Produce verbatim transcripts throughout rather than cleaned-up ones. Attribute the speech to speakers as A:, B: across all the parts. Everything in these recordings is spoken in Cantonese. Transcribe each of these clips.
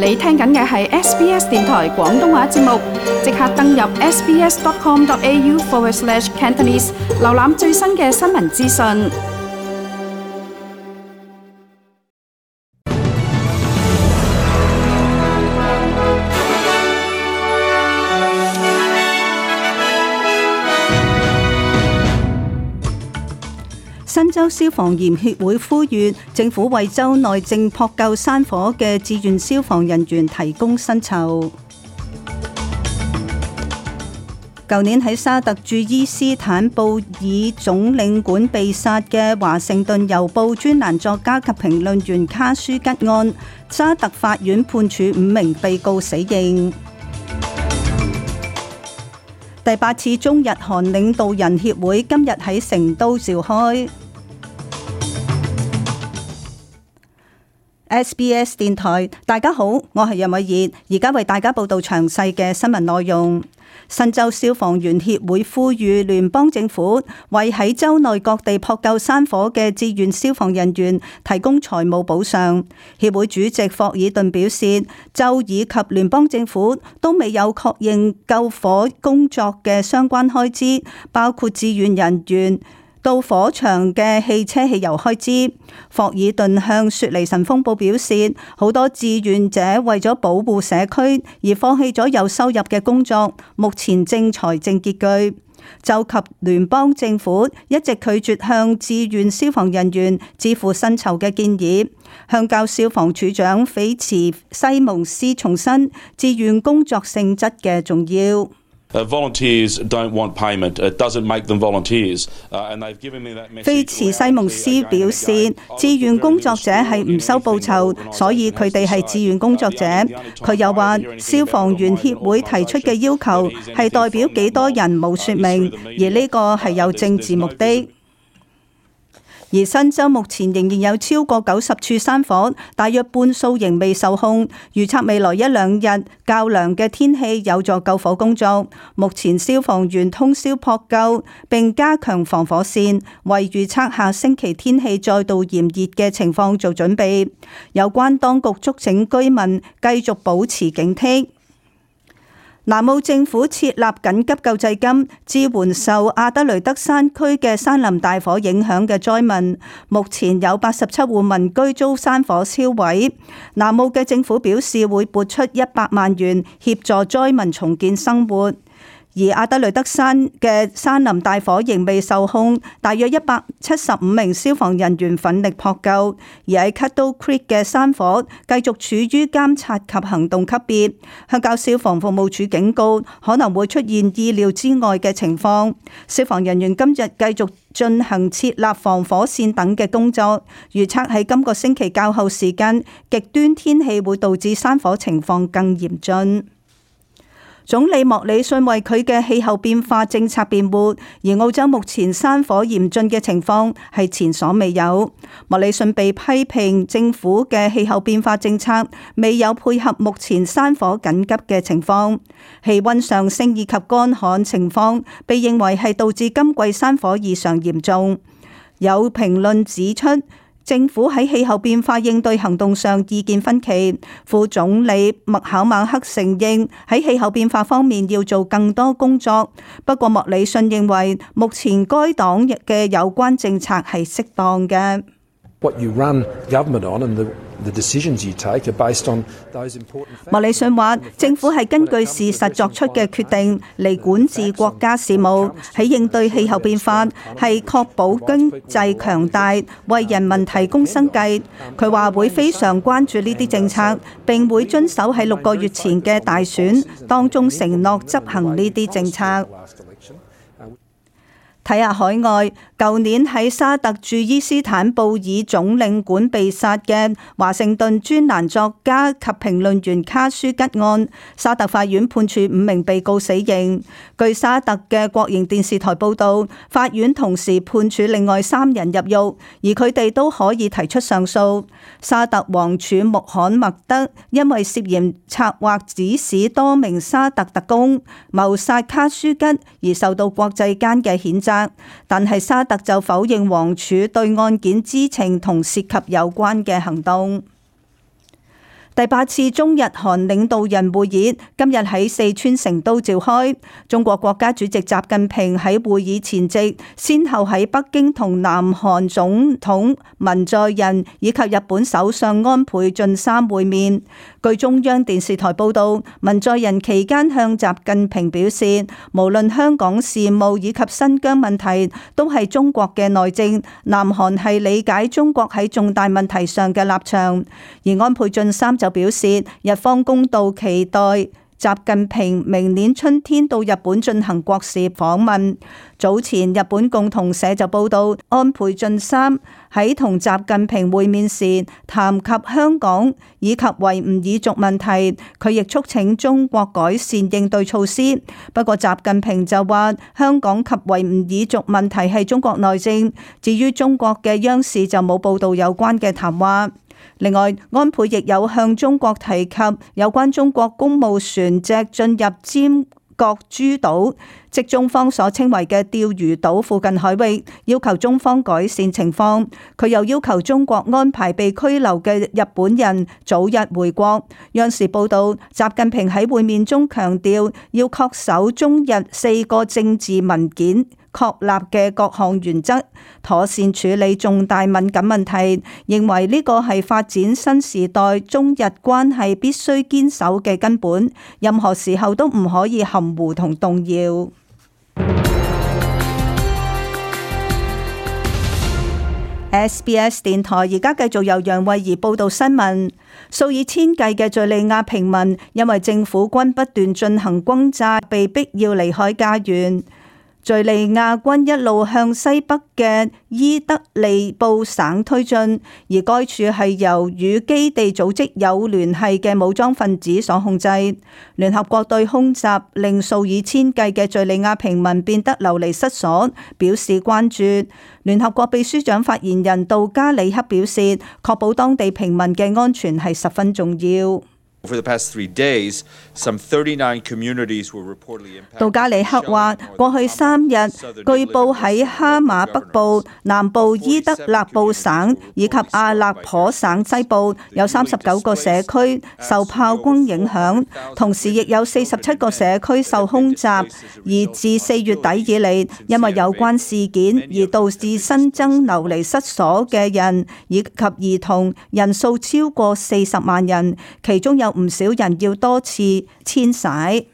A: 你聽緊嘅係 S B S 電台廣東話節目，即刻登入 sbs.com.au forward slash Cantonese， 瀏覽最新嘅新聞資訊。
B: 新州消防員協會呼籲政府為州內正撲救山火嘅志願消防人員提供薪酬。舊年喺沙特駐伊斯坦布爾總領館被殺嘅華盛頓郵報專欄作家及評論員卡舒吉案，沙特法院判處五名被告死刑。第八次中日韓領導人協會今日喺成都召開。S B S 電台，大家好，我係任偉儀，而家為大家報道詳細嘅新聞內容。新州消防員協會呼籲聯邦政府為喺州內各地撲救山火嘅志願消防人員提供財務補償。協會主席霍爾頓表示，州以及聯邦政府都未有確認救火工作嘅相關開支，包括志願人員到火場嘅汽車汽油開支。霍爾頓向雪梨晨鋒報表示，好多志願者為咗保護社區而放棄咗有收入嘅工作，目前正財政拮據。州及聯邦政府一直拒絕向志願消防人員支付薪酬嘅建議。鄉郊消防處長菲茨西蒙斯重申志願工作性質嘅重要。
C: Uh, volunteers don't want payment. It doesn't make them volunteers. Uh, and they've given me that message.
B: 菲茨西蒙斯表示，志願工作者係唔收報酬，所以佢哋係志願工作者。佢又話，消防員協會提出嘅要求係代表幾多人冇說明，而呢個係有政治目的。而新州目前仍然有超過九十處山火，大約半數仍未受控。預測未來一兩日較涼嘅天氣有助救火工作。目前消防員通宵撲救並加強防火線，為預測下星期天氣再度炎熱嘅情況做準備。有關當局促請居民繼續保持警惕。南澳政府設立緊急救濟金，支援受阿德雷德山區嘅山林大火影響嘅災民。目前有八十七戶民居遭山火燒毀。南澳嘅政府表示會撥出一百萬元協助災民重建生活。而阿德雷德山嘅山林大火仍未受控，大約一百七十五名消防人員奮力撲救。而喺 Cuttle Creek 嘅山火繼續處於監察及行動級別。鄉郊消防服務處警告可能會出現意料之外嘅情況。消防人員今日繼續進行設立防火線等嘅工作。預測喺今個星期較後時間，極端天氣會導致山火情況更嚴峻。總理莫里遜為佢嘅氣候變化政策辯護，而澳洲目前山火嚴峻嘅情況係前所未有。莫里遜被批評政府嘅氣候變化政策未有配合目前山火緊急嘅情況，氣溫上升以及乾旱情況被認為係導致今季山火異常嚴重。有評論指出，政府喺氣候變化應對行動上意見分歧。副總理麥考馬克承認喺氣候變化方面要做更多工作，不過莫里遜認為目前該黨嘅有關政策係適當嘅。
D: What you run government on and the The decisions you take are based on those important factors.
B: 莫里遜話：政府係根據事實作出嘅決定嚟管治國家事務，喺應對氣候變化係確保經濟強大，為人民提供生計。佢話會非常關注呢啲政策，並會遵守喺六個月前嘅大選當中承諾執行呢啲政策。睇下海外，舊年喺沙特駐伊斯坦布爾總領館被殺嘅華盛頓專欄作家及評論員卡舒吉案，沙特法院判處五名被告死刑。據沙特嘅國營電視台報道，法院同時判處另外三人入獄，而佢哋都可以提出上訴。沙特王儲穆罕默德因為涉嫌策劃指使多名沙特特工謀殺卡舒吉而受到國際間嘅譴責。但係沙特就否認王儲對案件知情同涉及有關嘅行動。第八次中日韓領導人會議今日喺四川成都召開。中國國家主席習近平喺會議前夕，先後喺北京同南韓總統文在寅以及日本首相安倍晉三會面。據中央電視台報道，文在寅期間向習近平表示，無論香港事務以及新疆問題，都係中國嘅內政，南韓係理解中國喺重大問題上嘅立場。而安倍晉三就表示，日方公道期待習近平明年春天到日本進行國事訪問。早前日本共同社就報道，安倍晉三喺同習近平會面時談及香港以及維吾爾族問題，佢亦促請中國改善應對措施。不過習近平就話，香港及維吾爾族問題係中國內政，至於中國嘅央視就冇報道有關嘅談話。另外，安倍亦有向中國提及有關中國公務船隻進入尖閣諸島，即中方所稱為嘅釣魚島附近海域，要求中方改善情況。佢又要求中國安排被拘留嘅日本人早日回國。央視報道，習近平喺會面中強調，要恪守中日四個政治文件確立嘅各項原則，妥善處理重大敏感問題，認為呢個係發展新時代中日關係必須堅守嘅根本，任何時候都唔可以含糊同動搖。S B S 電台而家繼續由楊慧儀報道新聞。數以千計嘅敘利亞平民因為政府軍不斷進行轟炸，被逼要離開家園。敘利亞軍一路向西北嘅伊德利布省推進，而該處係由與基地組織有聯繫嘅武裝分子所控制。聯合國對空襲令數以千計嘅敘利亞平民變得流離失所，表示關注。聯合國秘書長發言人杜加里克表示，確保當地平民嘅安全係十分重要。杜加里克話：過去三日，據報喺哈馬北部、南部伊德勒布省以及阿勒頗省西部有三十九個社區受炮轟影響，同時亦有四十七個社區受空襲。而自四月底以嚟，因為有關事件而導致新增流離失所嘅人以及兒童人數超過四十萬人，其中有唔少人要多次遷徙。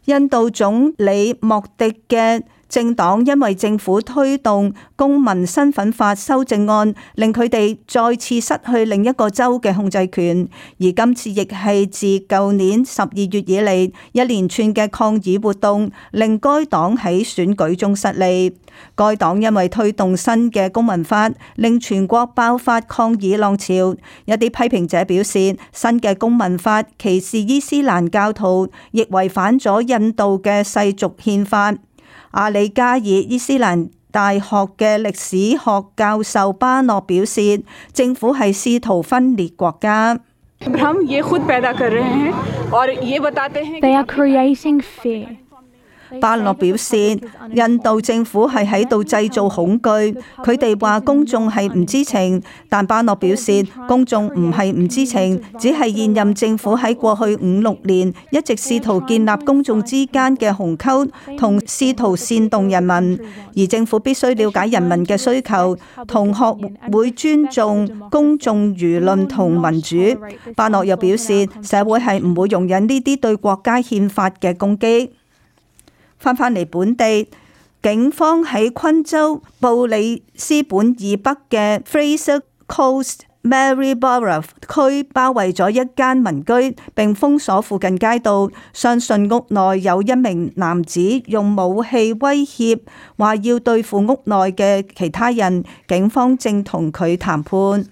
B: 印度總理莫迪嘅政黨因為政府推動公民身份法修正案，令佢哋再次失去另一個州嘅控制權。而今次亦係自舊年十二月以嚟一連串嘅抗議活動，令該黨喺選舉中失利。該黨因為推動新嘅公民法，令全國爆發抗議浪潮。一啲批評者表示，新嘅公民法歧視伊斯蘭教徒，亦違反咗印度嘅世俗憲法。阿里加爾伊斯蘭大學嘅歷史學教授巴諾表示，政府係試圖分裂國家。
E: They are creating fear.
B: 巴諾表示，印度政府係喺度製造恐懼。佢哋話公眾係唔知情，但巴諾表示公眾唔係唔知情，只係現任政府喺過去五六年一直試圖建立公眾之間嘅鴻溝，同試圖煽動人民。而政府必須了解人民嘅需求，同學會尊重公眾輿論同民主。巴諾又表示，社會係唔會容忍呢啲對國家憲法嘅攻擊。翻返嚟本地，警方喺昆州布里斯本以北嘅 Fraser Coast Maryborough 區包圍咗一間民居，並封鎖附近街道，相信屋內有一名男子用武器威脅，話要對付屋內嘅其他人。警方正同佢談判。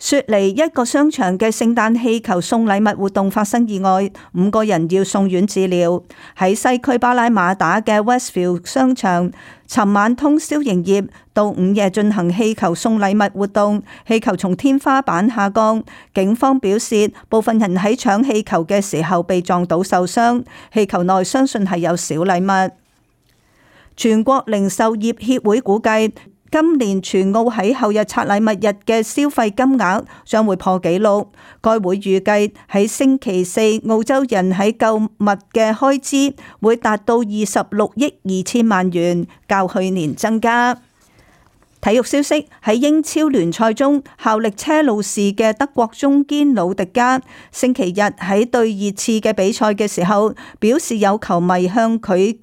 B: 雪梨一個商場嘅聖誕氣球送禮物活動發生意外，五個人要送院治療。喺西區巴拉馬打嘅 Westfield 商場，尋晚通宵營業，到午夜進行氣球送禮物活動。氣球從天花板下降，警方表示部分人喺搶氣球嘅時候被撞到受傷。氣球內相信係有小禮物。全國零售業協會估計，今年全澳喺後日拆禮物日嘅消費金額將會破紀錄。該會預計喺星期四澳洲人喺購物嘅開支會達到二十六億二千萬元，較去年增加。體育消息，喺英超聯賽中效力車路士嘅德國中堅魯迪加星期日喺對熱刺嘅比賽嘅時候，表示有球迷向佢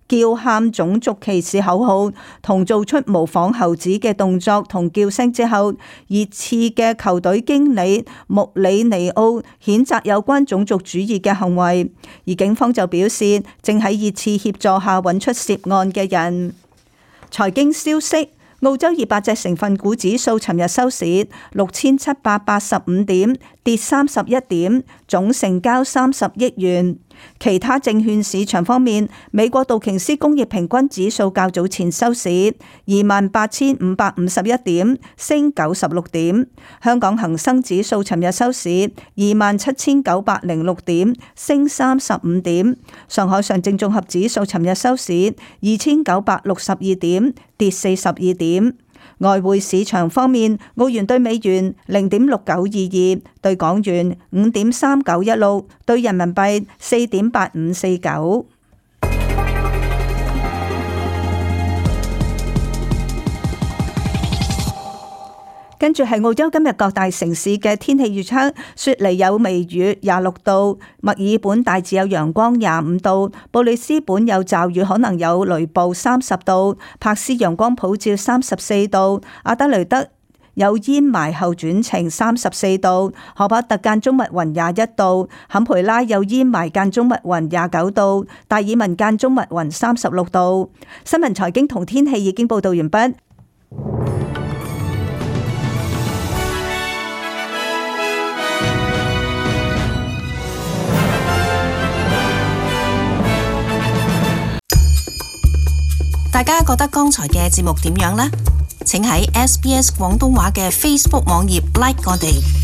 B: 叫喊種族歧視口號同做出模仿猴子嘅動作同叫聲之後，熱刺嘅球隊經理穆里尼奧譴責有關種族主義嘅行為，而警方就表示正喺熱刺協助下揾出涉案嘅人。財經消息，澳洲二百隻成分股指數尋日收市六千七百八十五點，跌三十一點，總成交三十億元。其他證券市場方面，美國道瓊斯工業平均指數較早前收市二萬八千五百五十一點，升九十六點。香港恒生指數尋日收市二萬七千九百零六點，升三十五點。上海上證綜合指數尋日收市二千九百六十二點，跌四十二點。外匯市場方面，澳元兌美元零點六九二二，兌港元五點三九一六，兌人民幣四點八五四九。跟住係澳洲今日各大城市嘅天氣預測：雪梨有微雨廿六度，墨爾本大致有陽光廿五度，布里斯本有驟雨可能有雷暴三十度，柏斯陽光普照三十四度，阿德雷德有煙霾後轉晴三十四度，荷伯特間中密雲廿一度，坎培拉有煙霾間中密雲廿九度，達爾文間中密雲三十六度。新聞財經同天氣已經報道完畢。
F: 大家覺得剛才嘅節目點樣呢？請喺 S B S 廣東話嘅 Facebook 網頁 like 我哋。